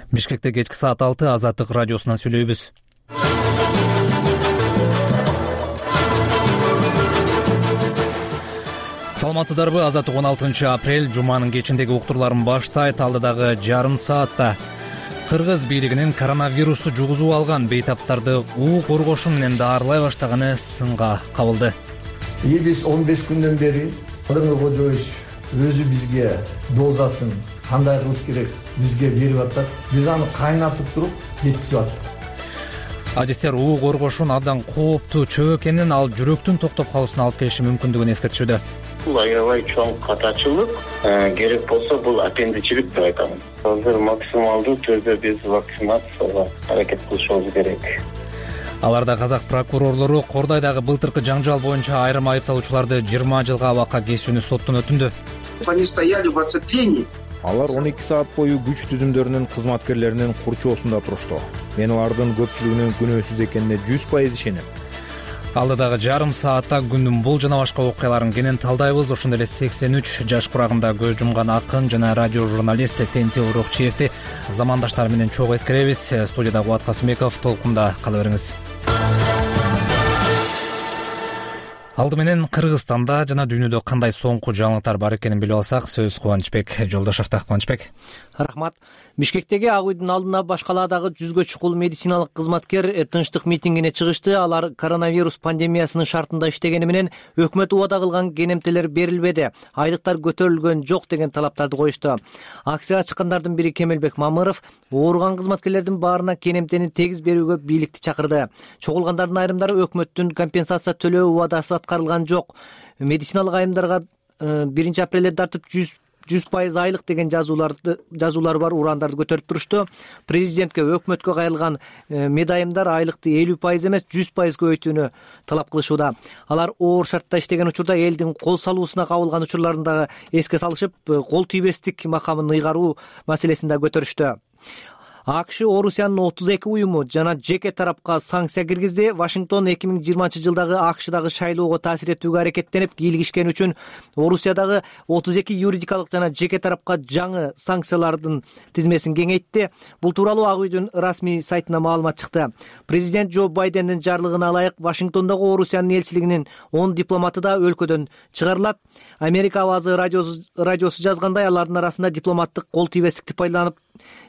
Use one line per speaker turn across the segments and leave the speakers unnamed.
Бишкекте кечки саат 6 Азаттык радиосунан сүйлөйбүз. Саламатсыздарбы? Азаттык 16 апрель жуманын кечиндеги уктурларын баштайт. Алдыдагы жарым саатта Кыргыз бийлигинин коронавирусту жугузуп алган бейтаптарды уу коргошу менен даарылай баштаганы сынга кабылды.
Биз 15 күндөн бери Кадырбек Кожоевич өзү бизге дозасын кандай кылыш керек бизге берип атат. Биз аны кайнатып туруп жеткизип аттык.
Адистер уу коргошунун абдан кооптуу чөө экенин, ал жүрөктүн токтоп калуусуна алып келиши мүмкүндүгүн эскертишүүдө.
Бул аябай чоң катачылык, керек болсо бул аппендичилик деп айтамын. Азыр максималдуу түрдө биз вакцинацияга аракет кылышыбыз керек.
Аларда казак прокурорлору Кордайдагы былтыркы жаңжал боюнча айрым айыпталуучуларды 20 жылга абакка кесүүнү соттун өтүндү.
Они стояли в оцеплении.
Алар 12 саат бою күч түзүмдөрүнүн кызматкерлеринин курчоосунда турушту. Мен алардын көпчүлүгүнүн күнөөсүз экенине 100% ишенем.
Алдыдагы жарым саатта күндүн бул жана башка окуяларын кенен талдайбыз. Ошондой эле 83 жаш курагында көз жумган акын жана радио журналист Тенти Урукчиевди замандаштары менен чогуу эскеребиз. Студияда Кубат Касымбеков, толкунда кала бериңиз. Алды менен Кыргызстанда жана дүйнөдө кандай соңку жаңылыктар бар экенин билип алсак, сөз Кубанычбек Жолдошовдо. Кубанычбек.
Рахмат. Бишкектеги Ак үйдүн алдына башка калаадагы 100гө чукул медициналык кызматкер тынчтык митингине чыгышты. Алар коронавирус пандемиясынын шартында иштегени менен өкмөт убада кылган кенемтелер берилбеди, айлыктар көтөрүлгөн жок деген талаптарды коюшту. Акцияга чыккандардын бири Кемелбек Мамыров ооруган кызматкерлердин баарына кенемтени тегиз берүүгө бийликти чакырды. Чогулгандардын айрымдары өкмөттүн компенсация төлөө убадасы аткарылган жок, медициналык айымдарга 1 апрелден тартып 100% айлык деген жазуулар бар урандарды көтөрүп турушту. Президентке, өкмөткө кайрылган медайымдар айлыкты 50% эмес 100% көбөйтүүнү талап кылышууда. Алар оор шартта иштеген учурда элдин кол салуусуна кабылган учурларын дагы эске салышып, кол тийбестик макамын ыйгаруу маселесин да көтөрүштү. АКШ Орусиянын 32 уюму жана жеке тарапка санкция киргизди. Вашингтон 2020 жылдагы АКШдагы шайлоого таасир этүүгө аракеттенип кийлигишкен үчүн Орусиядагы 32 юридикалык жана жеке тарапка жаңы санкциялардын тизмесин кеңейтти. Бул тууралуу Ак үйдүн расмий сайтына маалымат чыкты. Президент Джо Байдендин жарлыгына ылайык Вашингтондогу Орусиянын элчилигинин 10 дипломаты да өлкөдөн чыгарылат. Америка авазы радиосу жазгандай, алардын арасында дипломаттык кол тийбестикти пайдаланып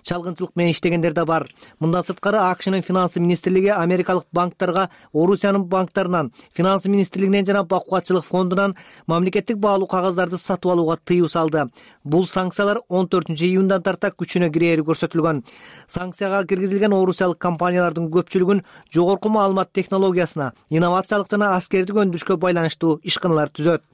чалгынчылык менен иштегендер да бар. Мындан сырткары АКШнын финанс министрлиги америкалык банктарга Орусиянын банктарынан, финанс министрлигинен жана бакуатчылык фондунан мамлекеттик баалуу кагаздарды сатып алууга тыюу салды. Бул санкциялар 14-июндан тарта күчүнө кирери көрсөтүлгөн. Санкцияга киргизилген орусиялык компаниялардын көпчүлүгүн жогорку маалымат технологиясына, инновациялык жана аскердик өндүрүшкө байланыштуу ишканалар түзөт.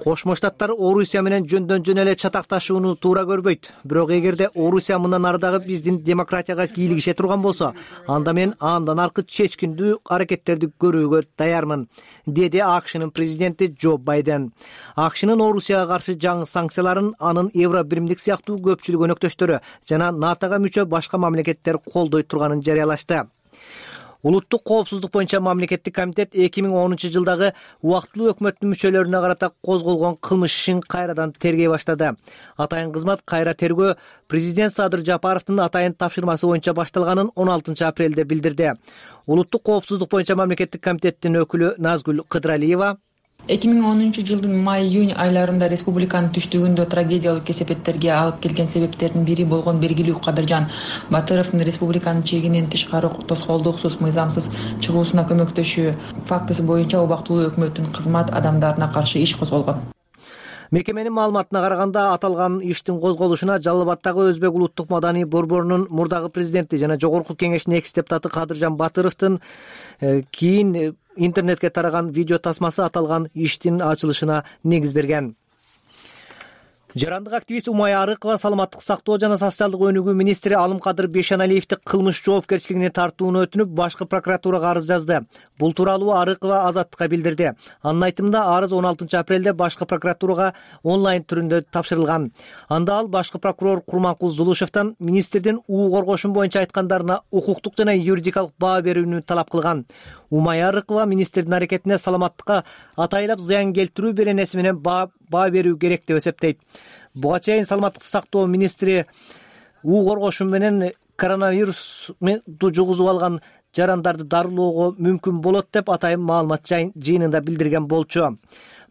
Кошмо Штаттар Орусия менен жөн эле чатакташууну туура көрбөйт. Бирок эгерде Орусия мындан ары дагы биздин демократияга кийлигише турган болсо, анда мен андан аркы чечкиндүү аракеттерди көрүүгө даярмын, деди АКШнын президенти Джо Байден. АКШнын Орусияга каршы жаңы санкцияларын анын Евро биримдик сыяктуу көпчүлүк өнөктөштөрү жана НАТОга мүчө башка мамлекеттер колдой турганын жарыялашты. Улуттук коопсуздук боюнча мамлекеттик комитет 2010 жылдагы убактылуу өкмөттүн мүчөлөрүнө карата козголгон кылмыш ишин кайрадан тергей баштады. Атайын кызмат кайра тергөө президент Садыр Жапаровдун атайын тапшырмасы боюнча башталганын 16 апрелде билдирди. Улуттук коопсуздук боюнча мамлекеттик комитеттин өкүлү Назгүл Кыдралиева
2010 жылдын май-июнь айларында республиканын түштүгүндө трагедиялык кесепеттерге алып келген себептердин бири болгон белгилүү Кадыржан Батыровдун республиканын чегинен тышкары тоскоолдуксуз мыйзамсыз чыгуусуна көмөктөшүү фактысы боюнча убактылуу өкмөттүн кызмат адамдарына каршы иш козголгон.
Мекеменин маалыматына караганда, аталган иштин козголушуна Жалал Абаддагы Өзбек улуттук маданий борборунун мурдагы президенти жана жогорку кеңештин экс-депутаты Кадыржан Батыровдун кийин интернетке тараган видео тасмасы аталган иштин ачылышына негиз берген. Жарандык активист Умая Арыкова саламаттык сактоо жана социалдык өнүгүү министри Алымкадыр Бейшеналиевди кылмыш жоопкерчилигине тартууну өтүнүп, башкы прокуратурага арыз жазды. Бул тууралуу Арыкова Азаттыкка билдирди. Анын айтымында, арыз 16 апрелде башкы прокуратурага онлайн түрүндө тапшырылган. Анда ал башкы прокурор Курманкул Зулушевден министрдин уу коргошун боюнча айткандарына укуктук жана юридикалык баа берүүнү талап кылган. Умая Арыкова министрдин аракетине саламаттыкка атайлап зыян келтирүү беренеси менен баа баа берүү керек деп эсептейт. Буга чейин саламаттыкты сактоо министри уу коргошу менен коронавирусту жугузуп алган жарандарды дарылоого мүмкүн болот деп атайын маалымат жыйынында билдирген болчу.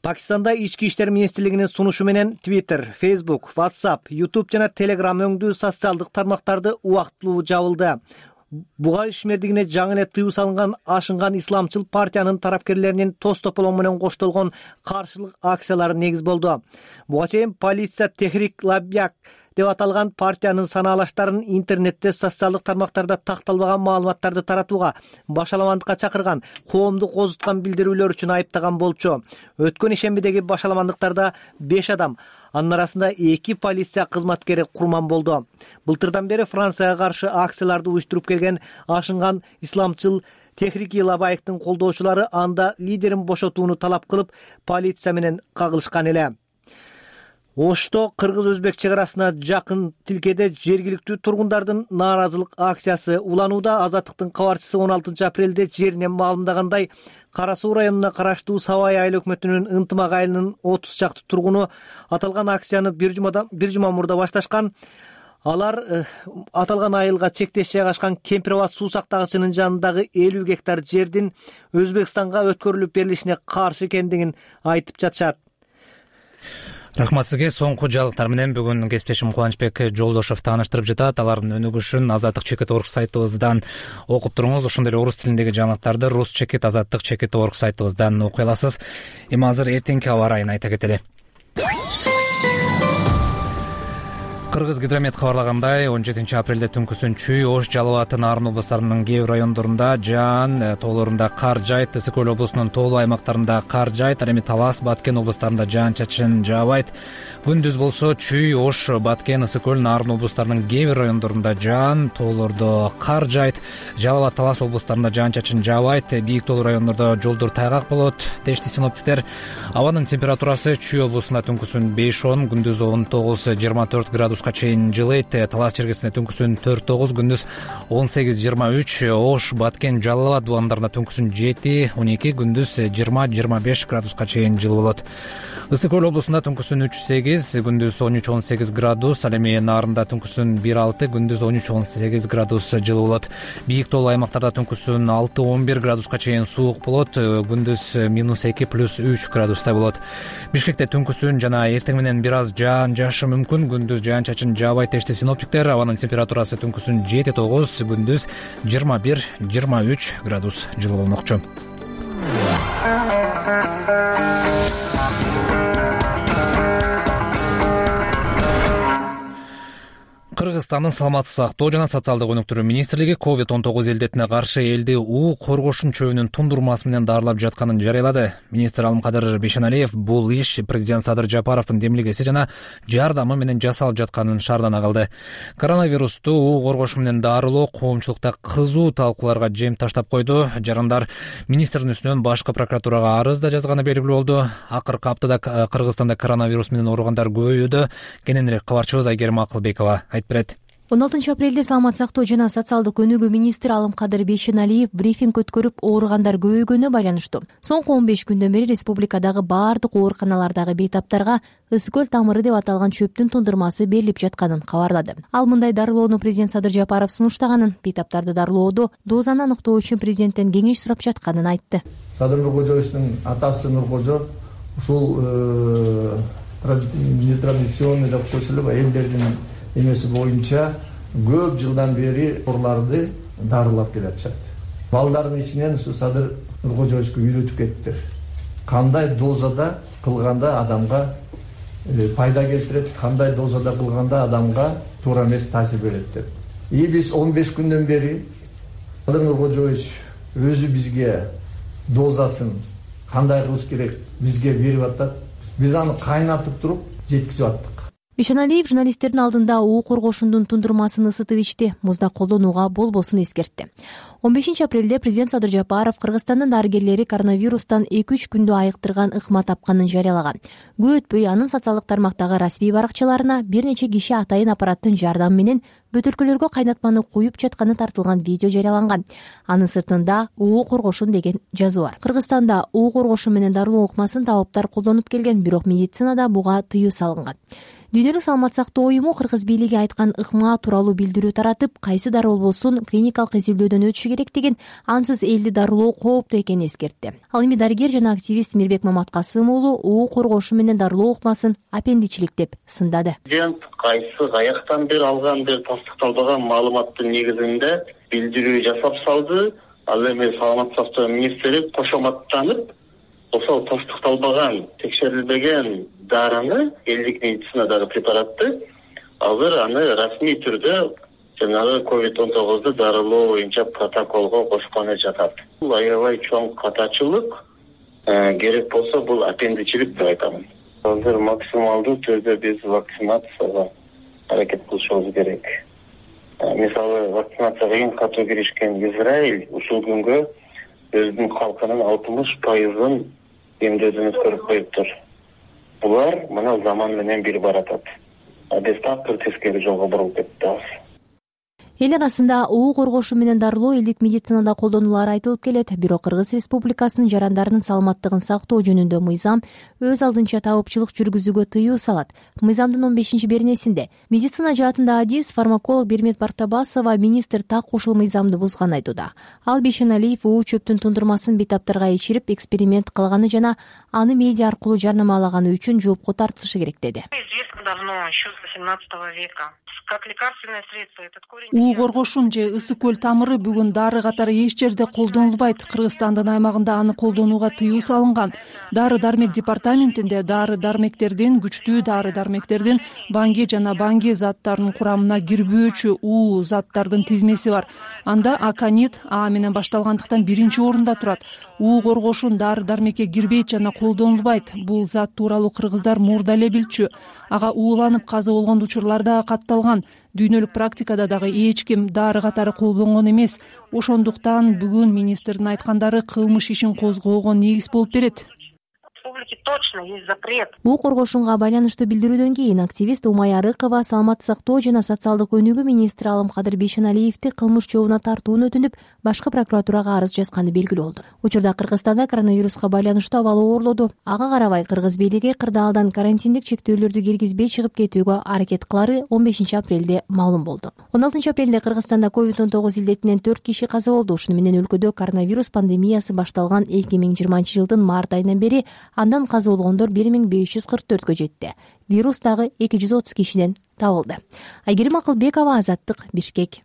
Пакистанда ички иштер министрлигинин сунушу менен Twitter, Facebook, WhatsApp, YouTube жана Telegram өңдүү социалдык тармактарды убактылуу жабылды. Буга ишмердигине жаңы эле тыюу салынган ашынган исламчыл партиянын тарапкерлеринин тоз тополоң менен коштолгон каршылык акциялары негиз болду. Буга чейин полиция Техрик Лаббак деп аталган партиянын санаалаштарын интернетте социалдык тармактарда такталбаган маалыматтарды таратууга, башаламандыкка чакырган, коомду козуткан билдирүүлөр үчүн айыптаган болчу. Өткөн ишембидеги башаламандыктарда 5 адам, анын арасында 2 полиция кызматкери курман болду. Былтырдан бери Францияга каршы акцияларды уюштуруп келген ашынган исламчыл Техрик Лаббактын колдоочулары анда лидерин бошотууну талап кылып, полиция менен кагылышкан эле. Ошто кыргыз-өзбек чек арасына жакын тилкеде жергиликтүү тургундардын нааразылык акциясы уланууда. Азаттыктын кабарчысы 16 апрелде жеринен маалымдагандай, Кара Суу районуна караштуу Сабай айыл өкмөтүнүн ынтымак айылынын 30 чакты тургуну аталган акцияны бир жума мурда башташкан. Алар аталган айылга чектеш жайгашкан Кемпирабад суу сактагычынын жанындагы 50 гектар жердин Өзбекстанга өткөрүлүп берилишине каршы экендигин айтып жатышат.
Рахмат сизге. Соңку жаңылыктар менен бүгүн кесиптешим Кубанычбек Жолдошов тааныштырып жатат. Алардын өнүгүшүн Азаттык.org сайтыбыздан окуп туруңуз. Ошондой эле орус тилиндеги жаңылыктарды Rus.Azаттык.org сайтыбыздан окуй аласыз. Эми азыр эртеңки аба ырайын айта кетели. Кыргыз гидромет кабарлагандай, 17 апрелде түнкүсүн Чүй, Ош, Жалал Абад, Нарын облустарынын кээ бир райондорунда жаан, тоолорунда кар жайт, Ысык Көл облусунун тоолуу аймактарында кар жайт, ал эми Талас, Баткен облустарында жаан-чачын жаабайт. Күндүз болсо Чүй, Ош, Баткен, Ысык Көл, Нарын облустарынын кээ бир райондорунда жаан, тоолордо кар жайт, Жалал Абад, Талас облустарында жаан-чачын жаабайт. Бийик тоолуу райондордо жолдор тайгак болот, дешти синоптиктер. Абанын температурасы Чүй облусунда түнкүсүн 5-10, күндүз 19-24 градуска чейин жылыйт. Талас чергесинде түнкүсүн 4-9, күндүз 18-23, Ош, Баткен, Жалал Абад дубандарында түнкүсүн 7-12, күндүз 20-25 градуска чейин жылы болот. Ысык Көл облусунда түнкүсүн 3-8, күндүз 13-18 градус, ал эми Нарында түнкүсүн 1-6, күндүз 13-18 градус жылы болот. Бийик тоолуу аймактарда түнкүсүн 6-11 градуска чейин суук болот, күндүз -2 + 3 градустай болот. Бишкекте түнкүсүн жана эртең менен бир аз жаан жаашы мүмкүн, күндүз жаан-чачын жаабайт дешти синоптиктер. Абанын температурасы түнкүсүн 7-9, күндүз 21-23 градус жылы болмокчу. Кыргызстандын саламаттык сактоо жана социалдык өнүктүрүү министрлиги COVID-19 илдетине каршы элди уу коргошун чөбүнүн тундурмасы менен дарылап жатканын жарыялады. Министр Алымкадыр Бейшеналиев бул иш президент Садыр Жапаровдун демилгеси жана жардамы менен жасалып жатканын шаардана кылды. Коронавирусту уу коргошу менен дарылоо коомчулукта кызуу талкууларга жем таштап койду. Жарандар министрдин үстүнөн башкы прокуратурага арыз да жазганы белгилүү болду. Акыркы аптада Кыргызстанда коронавирус менен ооругандар көбөйүүдө. Кененирээк кабарчыбыз Айгерим Акылбекова айтып берет.
16 апрелде саламаттык сактоо жана социалдык өнүгүү министри Алымкадыр Бейшеналиев брифинг өткөрүп, ооругандар көбөйгөнүнө байланыштуу. Соңку 15 күндөн бери республикадагы баардык ооруканалардагы бейтаптарга Ысык Көл тамыры деп аталган чөптүн тундурмасы берилип жатканын кабарлады. Ал мындай дарылоону президент Садыр Жапаров сунуштаганын, бейтаптарды дарылоодо дозаны аныктоо үчүн президенттен кеңеш сурап жатканын айтты.
Садыр Нуркожоевичтин атасы Нуркожо ушул нетрадиционный деп коюшулуп элдердин эмеси боюнча көп жылдан бери ооруларды дарылап келатышат. Балдардын ичинен ушу Садыр Нуркожоевичке үйрөтүп кеттиктер. Кандай дозада кылганда адамга пайда келтирет, кандай дозада кылганда адамга туура эмес таасир берет деп. Биз 15 күндөн бери Садыр Нуркожоевич өзү бизге дозасын кандай кылыш керек бизге берип атат. Биз аны кайнатып туруп жеткизип аттык.
Бейшеналиев журналисттердин алдында уу коргошундун тундурмасын ысытып ичти, музда колдонууга болбосун эскертти. 15 апрелде президент Садыр Жапаров Кыргызстандын дарыгерлери коронавирустан 2-3 күндө айыктырган ыкма тапканын жарыялаган. Көп өтпөй анын социалдык тармактагы расмий баракчаларына бир нече киши атайын аппараттын жардамы менен бөтөлкөлөргө кайнатманы куюп жатканы тартылган видео жарыяланган. Анын сыртында уу коргошун деген жазуу бар. Кыргызстанда уу коргошу менен дарылоо ыкмасын табыптар колдонуп келген, бирок медицинада буга тыюу салынган. Дүйнөлүк саламат сактоо уюму Кыргыз бийлиги айткан ыкма тууралуу билдирүү таратып, кайсы дары болбосун клиникалык изилдөөдөн өтүшү керек деген, ансыз элди дарылоо кооптуу экенин эскертти. Ал эми дарыгер жана активист Мирбек Маматкасым уулу уу коргошу менен дарылоо ыкмасын аппендичилик деп сындады.
Кайсы каяктан бери алган деп тастыкталбаган маалыматтын негизинде билдирүү жасап салды. Ал эми саламат сактоо министри кошоматтанып, ошол тастыкталбаган, текшерилбеген дарыны, элдик медицинадагы препаратты азыр аны расмий түрдө жанагы COVID-19 дарылоо боюнча протоколго кошкону жатат. Бул аябай чоң катачылык, керек болсо бул аппендичилик деп айтамын. Азыр максималдуу түрдө биз вакцинацияга аракет кылышыбыз керек. Мисалы, вакцинацияга эң катуу киришкен Израиль ушул күнгө өзүнүн калкынын 60% эмдөөдөн өткөрүп коюптур. Булар мына заман менен бир баратат. Биз такыр тескери жолго бурулуп кеттик.
Эл арасында уу коргошу менен дарылоо элдик медицинада колдонулары айтылып келет. Бирок Кыргыз Республикасынын жарандарынын саламаттыгын сактоо жөнүндө мыйзам өз алдынча табыпчылык жүргүзүүгө тыюу салат. Мыйзамдын 15-беренесинде медицина жаатында адис фармаколог Бермет Бартабасова министр так ушул мыйзамды бузганын айтууда. Ал Бейшеналиев уу чөптүн тундурмасын бейтаптарга ичирип эксперимент кылганы жана аны медиа аркылуу жарнамалаганы үчүн жоопко тартылышы керек деди.
уу коргошун же ысык көл тамыры бүгүн дары катары эч жерде колдонулбайт. Кыргызстандын аймагында аны колдонууга тыюу салынган. Дары-дармек департаментинде дары-дармектердин, күчтүү дары-дармектердин банги жана банги заттарынын курамына кирбөөчү уу заттардын тизмеси бар. Анда аконит А менен башталгандыктан биринчи орунда турат. уу коргошун дары-дармекке кирбейт жана колдонулбайт. Бул зат тууралуу кыргыздар мурда эле билчү. Ага ууланып каза болгон учурлар да катталган. Дүйнөлүк практикада дагы эч ким дары катары колдонгон эмес. Ошондуктан бүгүн министрдин айткандары кылмыш ишин козгоого негиз болуп берет.
Точно есть запрет.
уу коргошунга байланыштуу билдирүүдөн кийин активист Умай Арыкова саламаттык сактоо жана социалдык өнүгүү министри Алымкадыр Бейшеналиевди кылмыш жообуна тартууну өтүнүп, башкы прокуратурага арыз жазганы белгилүү болду. Учурда Кыргызстанда коронавируска байланыштуу абал оорлоду. Ага карабай Кыргыз бийлиги кырдаалдан карантиндик чектөөлөрдү киргизбей чыгып кетүүгө аракет кылары 15 апрелде маалым болду. 16 апрелде Кыргызстанда COVID-19 илдетинен 4 киши каза болду. Ушуну менен өлкөдө коронавирус пандемиясы башталган 2020-жылдын март айынан бери андан каза болгондор 1544-кө жетти. Вирус дагы 230 кишиден табылды. Айгерим Акылбекова, Азаттык, Бишкек.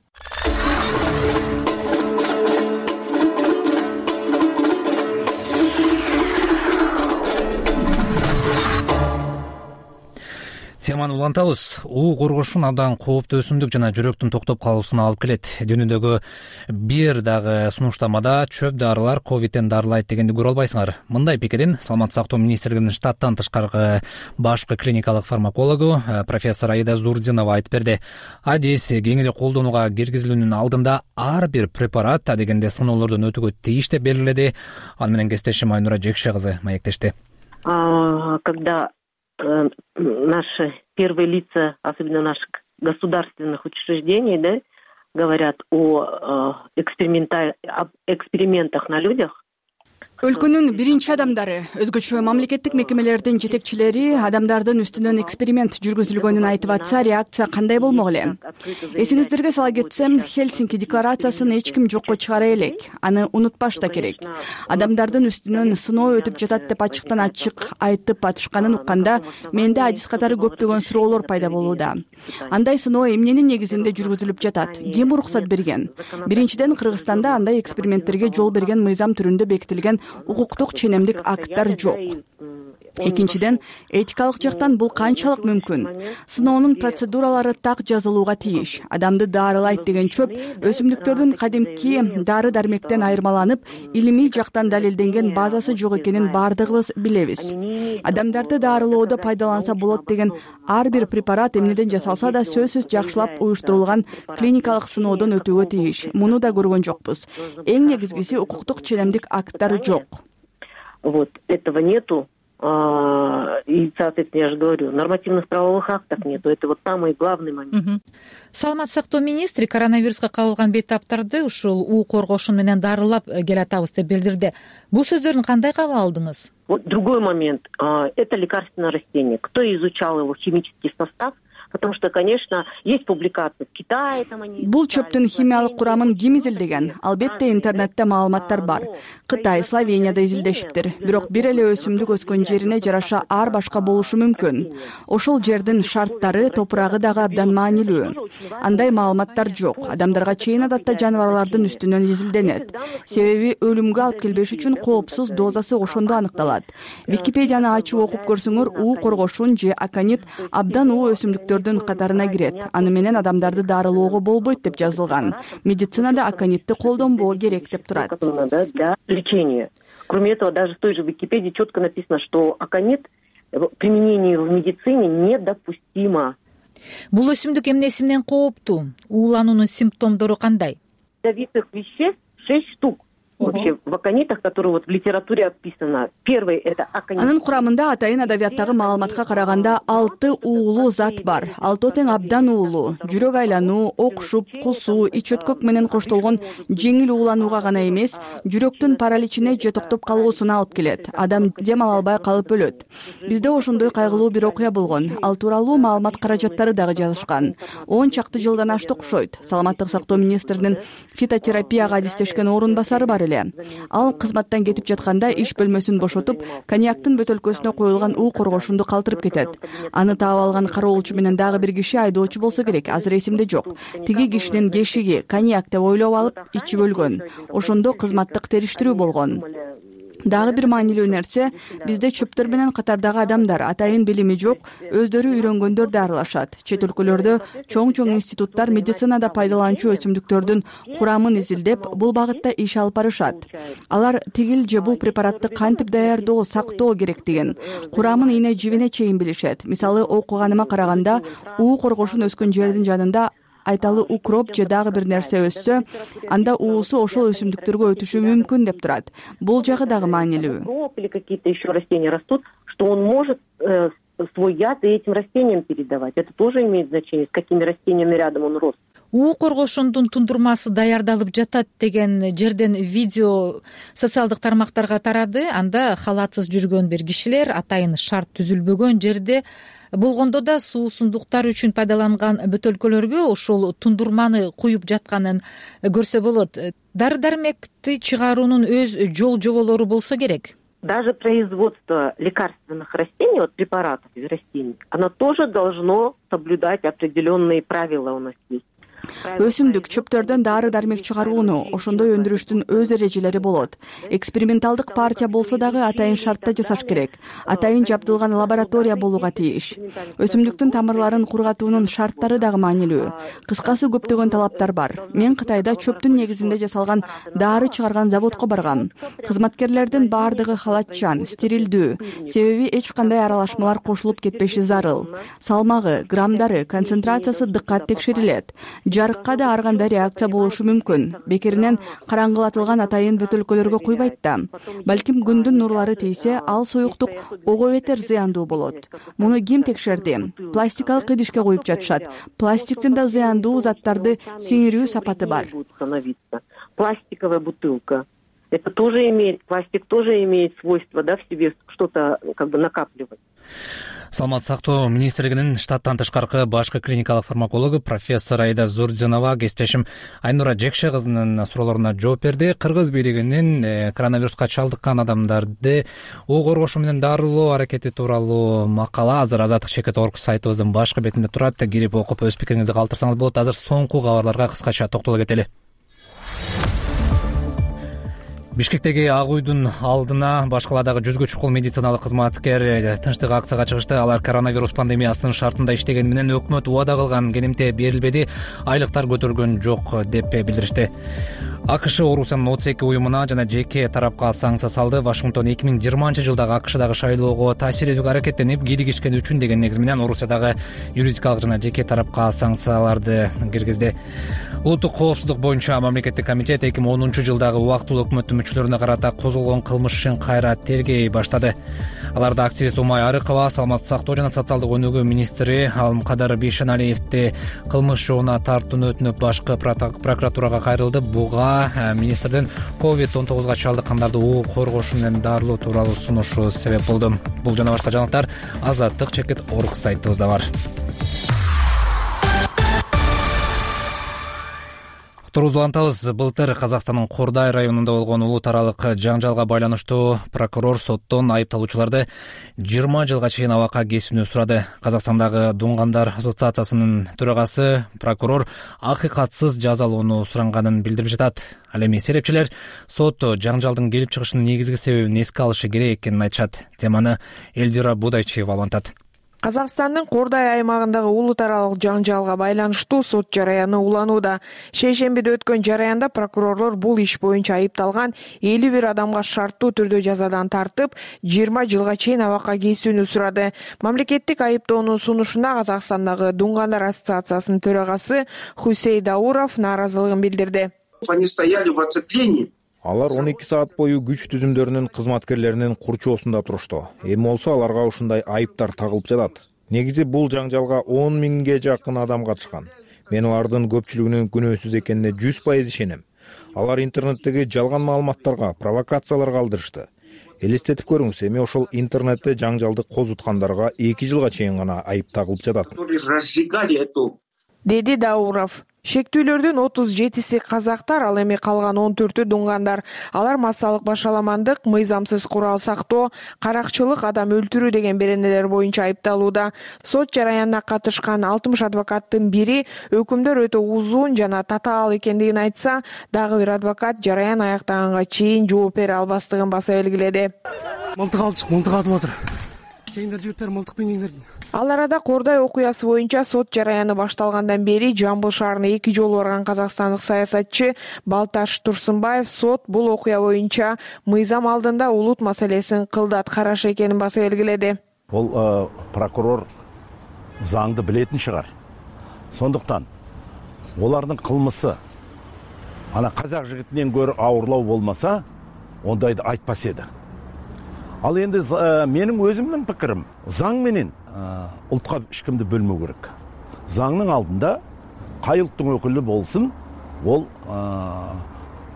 Теманы улантабыз. уу коргошун абдан кооптуу өсүмдүк жана жүрөктүн токтоп калуусуна алып келет. Дүйнөдөгү бир дагы сунуштамада чөп дарылар ковидтен дарылайт дегенди көрө албайсыңар. Мындай пикирин саламаттык сактоо министрлигинин штаттан тышкаркы башкы клиникалык фармакологу профессор Аида Зурдинова айтып берди. Адис кең эле колдонууга киргизилүүнүн алдында ар бир препарат дегенде сыноолордон өтүүгө тийиш деп белгиледи. Ал менен кесиптешим Айнура Жекше кызы маектешти.
Когда наши первые лица, особенно наших государственных учреждений, да, говорят о экспериментах на людях.
Өлкөнүн биринчи адамдары, өзгөчө мамлекеттик мекемелердин жетекчилери адамдардын үстүнөн эксперимент жүргүзүлгөнүн айтып атса, реакция кандай болмок эле? Эсиңиздерге сала кетсем, Хельсинки декларациясын эч ким жокко чыгара элек. Аны унутпаш да керек. Адамдардын үстүнөн сыноо өтүп жатат деп ачыктан ачык айтып атышканын укканда, менде адис катары көптөгөн суроолор пайда болууда. Андай сыноо эмненин негизинде жүргүзүлүп жатат? Ким уруксат берген? Биринчиден, Кыргызстанда андай эксперименттерге жол берген мыйзам түрүндө бекитилген укуктук ченемдик акттар жок.
Экинчиден, этикалык жактан бул канчалык мүмкүн? Сыноонун процедуралары так жазылууга тийиш. Адамды дарылайт деген чөп өсүмдүктөрдүн кадимки дары дармектен айырмаланып, илимий жактан далилденген базасы жок экенин баардыгыбыз билебиз. Адамдарды дарылоодо пайдаланса болот деген ар бир препарат эмнеден жасалса да сөзсүз жакшылап уюштурулган клиникалык сыноодон өтүүгө тийиш. Муну да көргөн жокпуз. Эң негизгиси укуктук ченемдик акттары жок.
Вот этого нету. И, соответственно, я же говорю, нормативных правовых актов нету. Это вот самый главный момент.
Саламаттык сактоо министри коронавируска кабылган бейтаптарды ушул уу коргошун менен дарылап келатабыз деп билдирди. Бул сөздөрдүн кандай кабыл алдыңыз?
Вот другой момент. Это лекарственное растение. Кто изучал его химический состав? Потому что, конечно, есть публикации в Китае.
Бул чөптүн химиялык курамын ким изилдеген? Албетте интернетте маалыматтар бар. Кытай, Словенияда изилдешиптир. Бирок бир эле өсүмдүк өскөн жерине жараша ар башка болушу мүмкүн. Ошол жердин шарттары, топурагы дагы абдан маанилүү. Андай маалыматтар жок. Адамдарга чейин адатта жаныбарлардын үстүнөн изилденет. Себеби өлүмгө алып келбеш үчүн коопсуз дозасы ошондо аныкталат. Википедияны ачып окуп көрсөңөр, уу коргошун же аконит абдан уу өсүмдүктөрдүн катарына кирет. Аны менен адамдарды дарылоого болбойт деп жазылган. Медицинада аконитти колдонбоо керек деп турат.
Для лечения. Кроме этого, даже в той же Википедии четко написано, что аконит применение в медицине недопустимо.
Бул өсүмдүк эмнеси менен кооптуу? Уулануунун симптомдору кандай?
Ядовитых веществ 6 штук. Вообще в аконитах, которые вот в литературе описано. Первый это аконит.
Анын курамында атайын адабияттагы маалыматка караганда 6 уулуу зат бар. 6 тең абдан уулуу. Жүрөк айлануу, окшуп, кусуу, ич өткөк менен коштолгон жеңил ууланууга гана эмес, жүрөктүн параличине же токтоп калуусуна алып келет. Адам дем ала албай калып өлөт. Бизде ошондой кайгылуу бир окуя болгон. Ал тууралуу маалымат каражаттары дагы жазышкан. 10 чакты жылдан ашты окшойт. Саламаттык сактоо министринин фитотерапияга адистешкен орун басары бар. Ал кызматтан кетип жатканда иш бөлмөсүн бошотуп, коньяктын бөтөлкөсүнө коюлган уу коргошунду калтырып кетет. Аны таап алган кароолчу менен дагы бир киши айдоочу болсо керек, азыр эсимде жок. Тиги кишинин кешиги коньяк деп ойлоп алып ичип өлгөн. Ошондо кызматтык териштирүү болгон. Дагы бир маанилүү нерсе, бизде чөптөр менен катардагы адамдар атайын билими жок, өздөрү үйрөнгөндөр дарылашат. Чет өлкөлөрдө чоң институттар медицинада пайдаланчу өсүмдүктөрдүн курамын изилдеп, бул багытта иш алып барышат. Алар тигил же бул препаратты кантип даярдоо, сактоо керектигин, курамын ийне жибине чейин билишет. Мисалы, окуганыма караганда, уу коргошун өскөн жердин жанында айталы укроп же дагы бир нерсе өссө, анда уусу ошол өсүмдүктөргө өтүшү мүмкүн деп турат. Бул жагы дагы маанилүү.
Или какие-то еще растения растут, что он может свой яд и этим растениям передавать. Это тоже имеет значение, с какими растениями рядом он рос.
Уу коргошундун тундурмасы даярдалып жатат деген жерден видео социалдык тармактарга тарады. Анда халатсыз жүргөн бир кишилер атайын шарт түзүлбөгөн жерде болгондо да суусундуктар үчүн пайдаланган бөтөлкөлөргө ошол тундурманы куюп жатканын көрсө болот. Дары дармекти чыгаруунун өз жол жоболору болсо керек.
Даже производство лекарственных растений, вот препаратов из растений, оно тоже должно соблюдать определенные правила у нас есть.
Өсүмдүк чөптөрдөн дары дармек чыгарууну ошондой өндүрүштүн өз эрежелери болот. Эксперименталдык партия болсо дагы атайын шартта жасаш керек. Атайын жабдылган лаборатория болууга тийиш. Өсүмдүктүн тамырларын кургатуунун шарттары дагы маанилүү. Кыскасы көптөгөн талаптар бар. Мен Кытайда чөптүн негизинде жасалган дары чыгарган заводко баргам. Кызматкерлердин баардыгы халатчан, стерилдүү. Себеби эч кандай аралашмалар кошулуп кетпеши зарыл. Салмагы, граммдары, концентрациясы дыккат текшерилет. Жарыкка да ар кандай реакция болушу мүмкүн. Бекеринен караңгылатылган атайын бөтөлкөлөргө куйбайт да. Балким күндүн нурлары тийсе, ал суюктук ого бетер зыяндуу болот. Муну ким текшерди? Пластикалык идишке коюп жатышат. Пластиктин да зыяндуу заттарды сиңирүү сапаты бар.
Пластиковая бутылка. Это тоже имеет, пластик тоже имеет свойство, да, в себе что-то как бы накапливать.
Саламаттык сактоо министрлигинин штаттан тышкаркы башкы клиникалык фармакологу профессор Айда Зурдзинова кесиптешим Айнура Жекше кызынын суроолоруна жооп берди. Кыргыз бийлигинин коронавируска чалдыккан адамдарды уу коргошу менен дарылоо аракети тууралуу макала азыр Азаттык Чекит орг сайтыбыздын башкы бетинде турат. Кирип окуп өз пикириңизди калтырсаңыз болот. Азыр соңку кабарларга кыскача токтоло кетели. Бишкектеги Ак үйдүн алдына башкала дагы 100гө чукул медициналык кызматкер тынчтык акцияга чыгышты. Алар коронавирус пандемиясынын шартында иштегени менен өкмөт убада кылган кенемте берилбеди, айлыктар көтөргөн жок деп билдиришти. АКШ Орусиянын 32 уюмуна жана жеке тарапка санкция салды. Вашингтон 2020-жылдагы АКШдагы шайлоого таасир этүүгө аракеттенип, кийлигишкени үчүн деген негиз менен Орусиядагы юридикалык жана жеке тарапка санкцияларды киргизди. Улуттук коопсуздук боюнча мамлекеттик комитет 2010-жылдагы убактылуу өкмөттүн мүчөлөрүнө карата козголгон кылмыш ишин кайра тергей баштады. Аларда активист Умай Арыкова, саламаттык сактоо жана социалдык өнүгүү министри Алымкадыр Бейшеналиевди кылмыш жообуна тартууну өтүнүп, башкы прокуратурага кайрылды. Буга министрдин COVID-19 чалдыккандарды угуп коргошу менен дарылоо тууралуу сунушу себеп болду. Бул жана башка жаңылыктар Азаттык чекит орг сайтыбызда бар. Улантабыз. Былтыр Казакстандын Кордай районунда болгон улут аралык жаңжалга байланыштуу прокурор соттон айыпталуучуларды 20 жылга чейин абакка кесүүнү сурады. Казакстандагы Дуңгандар ассоциациясынын төрагасы прокурор акыйкатсыз жазалоону суранганын билдирип жатат. Ал эми серепчилер сот жаңжалдын келип чыгышынын негизги себебин эске алышы керек экенин айтышат. Теманы Элдира Будайчиева улантат.
Казакстандын Кордай аймагындагы улут аралык жаңжалга байланыштуу сот жараяны уланууда. Шейшембиде өткөн жараянда прокурорлор бул иш боюнча айыпталган 51 адамга шарттуу түрдө жазадан тартып, 20 жылга чейин абакка кесүүнү сурады. Мамлекеттик айыптоонун сунушуна Казакстандагы Дуңгандар ассоциациясынын төрагасы Хусей Дауров нааразылыгын билдирди.
Они стояли в оцеплении.
Алар 12 саат бою күч түзүмдөрүнүн кызматкерлеринин курчоосунда турушту. Эми болсо аларга ушундай айыптар тагылып жатат. Негизи бул жаңжалга 10 миңге жакын адам катышкан. Мен алардын көпчүлүгүнүн күнөөсүз экенине 100% ишенем. Алар интернеттеги жалган маалыматтарга, провокацияларга алдырышты. Элестетип көрүңүз, эми ошол интернетте жаңжалды козуткандарга 2 жылга чейин гана айып тагылып жатат.
Деди Дауров. Шектүүлөрдүн 37-си казактар, ал эми калган 14-ü дуңгандар. Алар массалык башаламандык, мыйзамсыз курал сактоо, каракчылык, адам өлтүрүү деген беренелер боюнча айыпталууда. Сот жараянына катышкан 60 адвокаттын бири өкүмдөр өтө узун жана татаал экендигин айтса, дагы бир адвокат жараян аяктаганга чейин жооп бере албастыгын баса белгиледи.
Мылтык атып атыр. Кийиндер жигиттер мылтык менен.
Ал арада Кордай окуясы боюнча сот жараяны башталгандан бери Жамбыл шаарына 2 жолу барган казакстандык саясатчы Балташ Турсунбаев сот бул окуя боюнча мыйзам алдында улут маселесин кылдат караш экенин баса белгиледи.
Бул прокурор заңды билетин чыгар. Сондуктан олардын кылмысы ана казак жигитинен көрө ауырлау болмаса, ондайды айтпас эди. Ал енді менің өзімнің пікірім, заң менен ұлтқа ешкімді бөлмеу керек. Заңның алдында қай ұлттың өкілі болсын, ол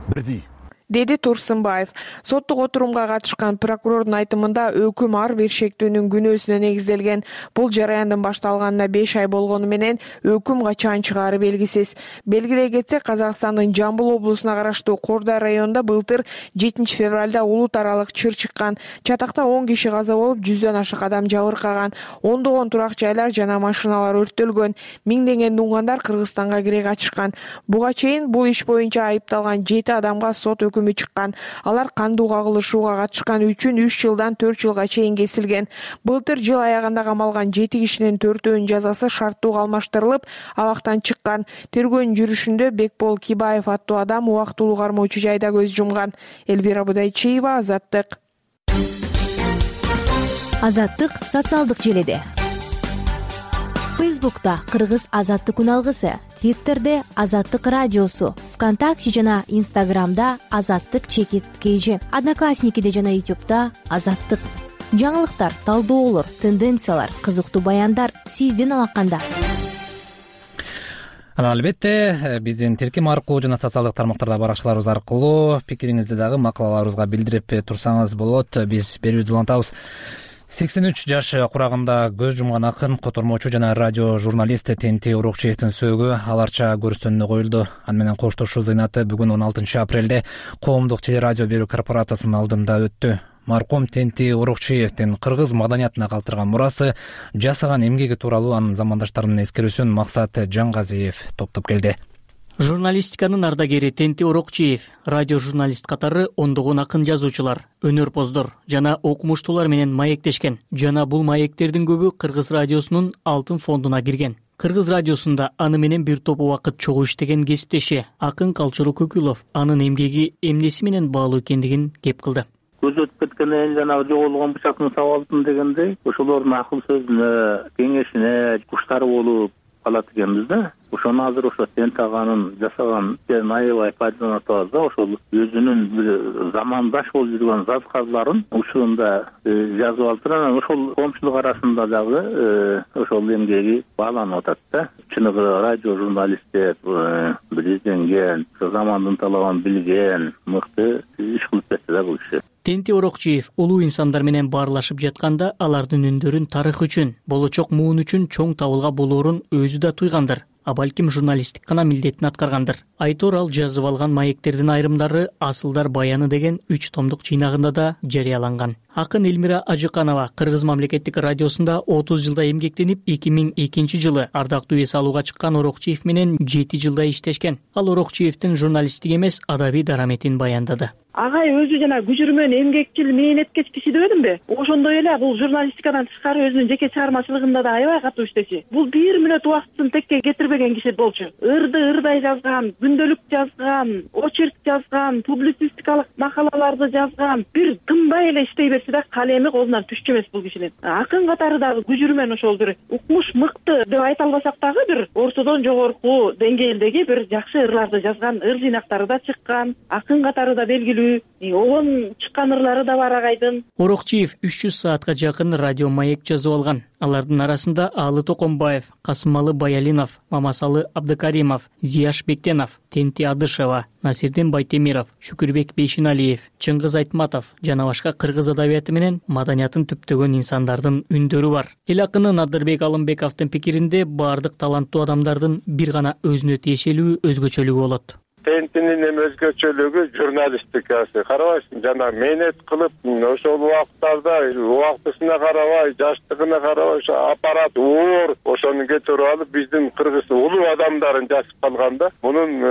бірдей.
Деди Турсунбаев. Соттук отурумга катышкан прокурордун айтымында өкүм ар бир шектүүнүн күнөөсүнө негизделген. Бул жараяндын башталганына 5 ай болгону менен өкүм качан чыгаары белгисиз. Белгилей кетсек, Казакстандын Жамбыл облусуна караштуу Кордай районунда былтыр 7 февралда улут аралык чыр чыккан. Чатакта 10 киши каза болуп, 100дөн ашык адам жабыркаган. Ондогон турак жайлар жана машиналар өрттөлгөн. Миңдеген дуңгандар Кыргызстанга кире качышкан. Буга чейин бул иш боюнча айыпталган 7 адамга сот өкүмү чыккан. Алар кандуу кагылышууга катышкан үчүн 3 жылдан 4 жылга чейин кесилген. Былтыр жыл аягында камалган 7 кишинин 4-өөнүн жазасы шарттуу алмаштырылып, абактан чыккан. Тергөөнүн жүрүшүндө Бекбол Кибаев аттуу адам убактылуу кармоочу жайда көз жумган. Элвира Будайчиева, Азаттык.
Азаттык социалдык желеде. Фейсбукта Кыргыз Азаттык күн алгысы, Твиттерде Азаттык радиосу, ВКонтакте жана Инстаграмда Азаттык чекит KG, Одноклассникиде жана Ютубта Азаттык. Жаңылыктар, талдоолор, тенденциялар, кызыктуу баяндар сиздин алаканда.
Албетте, биздин тилким аркылуу жана социалдык тармактарда баракчаларыбыз аркылуу пикириңизди дагы макалаларыбызга билдирип турсаңыз болот. Биз берүүбүздү улантабыз. 83 жаш курагында көз жумган акын, котормочу жана радио журналист Тенти Урукчиевдин сөөгү аларча көрсөтүүнү коюлду. Аны менен коштошуу зыйнаты бүгүн 16 апрелде Коомдук телерадио берүү корпорациясынын алдында өттү. Маркум Тенти Урукчиевдин кыргыз маданиятына калтырган мурасы, жасаган эмгеги тууралуу анын замандаштарынын эскерүүсүн Максат Жангазиев топтоп келди.
Журналистиканын ардагери Тенти Орокчиев радио журналист катары ондогон акын жазуучулар, өнөрпоздор жана окумуштуулар менен маектешкен жана бул маектердин көбү Кыргыз радиосунун алтын фондуна кирген. Кыргыз радиосунда аны менен бир топ убакыт чогуу иштеген кесиптеши акын Калчуру Көкүлов анын эмгеги эмнеси менен баалуу экендигин кеп кылды.
Көз өтүп кеткенден жанагы жоголгон бычактын сабалтын дегендей, ошолордун акыл сөзүнө, кеңешине куштар болуп калат экенбиз да. Ошону азыр ошо Тенти аганын жасаган аябай пайдаланып атабыз да. Ошол өзүнүн бир замандаш болуп жүргөн жазкарларын учурунда жазып алыптыр. Анан ошол коомчулук арасында дагы ошол эмгеги бааланып атат да. Чыныгы радио журналист деп бир изденген, замандын талабын билген, мыкты иш кылып кетти да бул киши.
Тенти Орокчиев улуу инсандар менен баарлашып жатканда алардын үндөрүн тарых үчүн, болочок муун үчүн чоң табылга болоорун өзү да туйгандыр. А балким журналисттик гана милдетин аткаргандыр. Айтор ал жазып алган маектердин айрымдары Асылдар баяны деген 3 томдук жыйнагында да жарыяланган. Акын Элмира Ажыканова Кыргыз мамлекеттик радиосунда 30 жылда эмгектенип, 2002 жылы ардактуу эс алууга чыккан Орокчиев менен 7 жылда иштешкен. Ал Орокчиевдин журналисттик эмес, адабий дараметин баяндады.
Агай өзү жана күжүрмөн, эмгекчил, мээнеткеч киши дебедимби? Ошондой эле бул журналистикадан тышкары өзүнүн жеке чыгармачылыгында да аябай катуу иштечи. Бул 1 мүнөт убактысын текке кетирбеген киши болчу. Ырдай жазган, күндөлүк жазган, очерк жазган, публицистикалык макалаларды жазган, бир тынбай эле иштей берчи да, калеми колунан түшчү эмес бул кишинин. Акын катары дагы күжүрмөн ошол бир укмуш мыкты деп айта албасак дагы бир ортодон жогорку деңгээлдеги бир жакшы ырларды жазган, ыр жыйнактары да чыккан, акын катары да белгилүү, огон чыккан ырлары да бар агайдын.
Орокчиев 300 саатка жакын радио маек жазып алган. Алардын арасында Алы Токомбаев, Касымалы Баялинов, Мамасалы Абдыкаримов, Зияш Бектенов, Тенти Адышева, Насирдин Байтемиров, Шүкүрбек Бейшиналиев, Чыңгыз Айтматов жана башка кыргыз адабияты менен маданиятын түптөгөн инсандардын үндөрү бар. Эл акыны Надырбек Алымбековдун пикиринде баардык таланттуу адамдардын бир гана өзүнө тиешелүү өзгөчөлүгү болот.
Тентинин эми өзгөчөлүгү журналистикасы. Карабайсың, жана мээнет кылып, ошол убактарда убактысына карабай, жаштыгына карабай, ошо аппарат оор, ошону кетирип алып, биздин кыргыз улуу адамдарын жазып калганда, мунун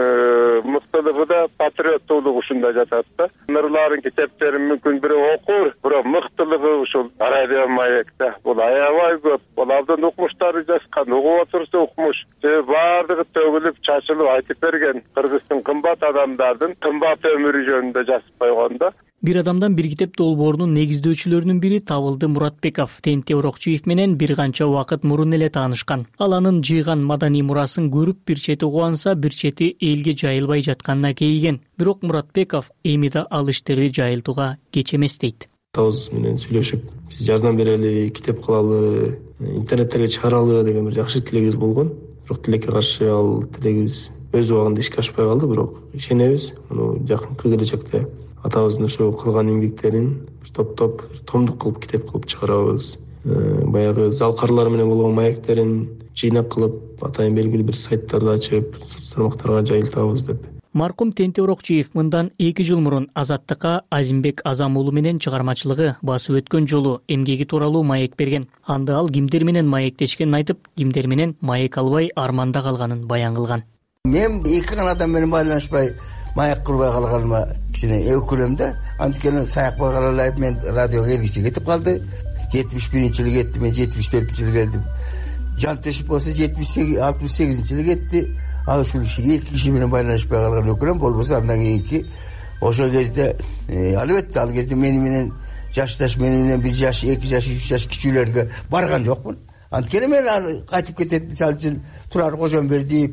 мыктылыгы да патриоттуулугу ушунда жатат да. Ырларын, китептерин мүмкүн бирөө окур, бирок мыктылыгы ушул радио маекте. Бул аябай көп. Бул абдан укмуштары жазган, угуп отурса укмуш. Баардыгы төгүлүп, чачылып айтып берген кыргыздын кымбат адамдардын кымбат өмүрү жөнүндө жазып койгондо.
Бир адамдан бир китеп долбоорунун негиздөөчүлөрүнүн бири Табылды Муратбеков Тенти Орокчиев менен бир канча убакыт мурун эле таанышкан. Ал анын жыйган маданий мурасын көрүп, бир чети кубанса, бир чети элге жайылбай жатканына кейиген. Бирок Муратбеков эми да ал иштерди жайылтууга кеч эмес дейт.
Табыз менен сүйлөшүп, биз жардам берели, китеп кылалы, интернеттерге чыгаралы деген бир жакшы тилегибиз болгон. Бирок тилекке каршы ал тилегибиз өз убагында ишке ашпай калды. Бирок ишенебиз, муну жакынкы келечекте атабыздын ошо кылган эмгектерин топтоп, томдук кылып, китеп кылып чыгарабыз. Баягы залкарлар менен болгон маектерин жыйнак кылып, атайын белгилүү бир сайттарды ачып, соц тармактарга жайылтабыз деп.
Маркум Тенти Орокчиев мындан 2 жыл мурун Азаттыкка Азимбек Азам уулу менен чыгармачылыгы басып өткөн жолу эмгеги тууралуу маек берген. Анда ал кимдер менен маектешкенин айтып, кимдер менен маек албай арманда калганын баян кылган.
Мен 2 гана адам менен байланышпай маек курбай калганыма кичине өкүнөм да. Анткени саякпай каралайып мен радиого келгиче кетип калды. 71-жылы кетти, мен 74-жылы келдим. Жантешип болсо 68-жылы кетти. Ал ушул 2 киши менен байланышпай калган өкүнөм. Болбосо андан кийинки ошол кезде албетте ал кезде менен жашташ, менен 1 жаш, 2 жаш, 3 жаш кичүүлөргө барган жокмун. Анткени мен кайтып кетет, мисалы үчүн Турар Кожомбердиев,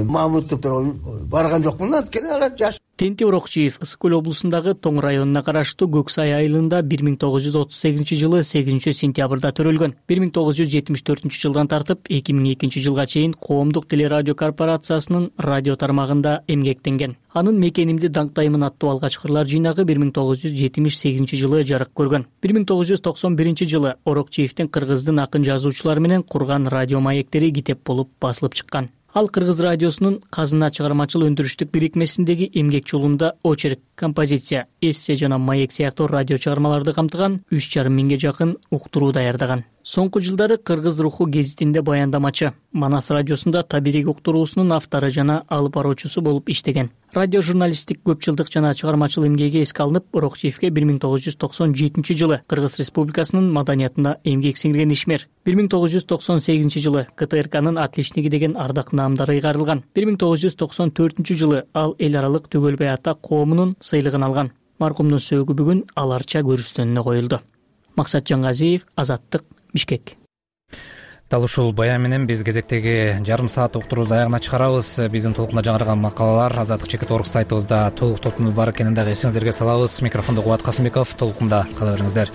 Мамутовдор барган жокмун. Анткени алар жаш.
Тенти Орокчиев Ысык көл облусундагы Тоң районуна караштуу Көксай айылында 1938 жылы 8 сентябрда төрөлгөн. 1974 жылдан тартып 2002 жылга чейин Коомдук телерадио корпорациясынын радио тармагында эмгектенген. Анын Мекенимди даңктаймын аттуу алгач кырлар жыйнагы 1978 жылы жарык көргөн. 1991 жылы Орокчиевдин кыргыздын акын жазуучулары менен курган радио маектери китеп болуп басылып чыккан. Ал Кыргыз радиосунун Казына чыгармачыл өндүрүштүк бирикмесиндеги эмгек жолунда очерк, композиция, эссе жана маек сыяктуу радио чыгармаларды камтыган 3,5 миңге жакын уктуруу даярдаган. Соңку жылдары Кыргыз руху гезитинде баяндамачы, Манас радиосунда табирик уктуруусунун автору жана алып баруучусу болуп иштеген. Радио журналисттик көп жылдык жана чыгармачыл эмгеги эске алынып, Орокчиевке 1997 жылы Кыргыз Республикасынын маданиятына эмгек сиңирген ишмер. 1998 жылы КТРКнын отличниги деген ардак наамдары ыйгарылган. 1994 жылы ал эл аралык Төгөлбай ата коомунун сыйлыгын алган. Маркумдун сөөгү бүгүн аларча көрүстөнүнө коюлду. Максат Жаңгазиев, Азаттык, Бишкек.
Дал ушул баян менен биз кезектеги жарым саат уктуруубузду аягына чыгарабыз. Биздин толкунда жаңырган макалалар Азаттык.org сайтыбызда толук тотунуп бар экенин дагы эсиңиздерге салабыз. Микрофондо Кубат Касымбеков. Толкунда кала бериңиздер.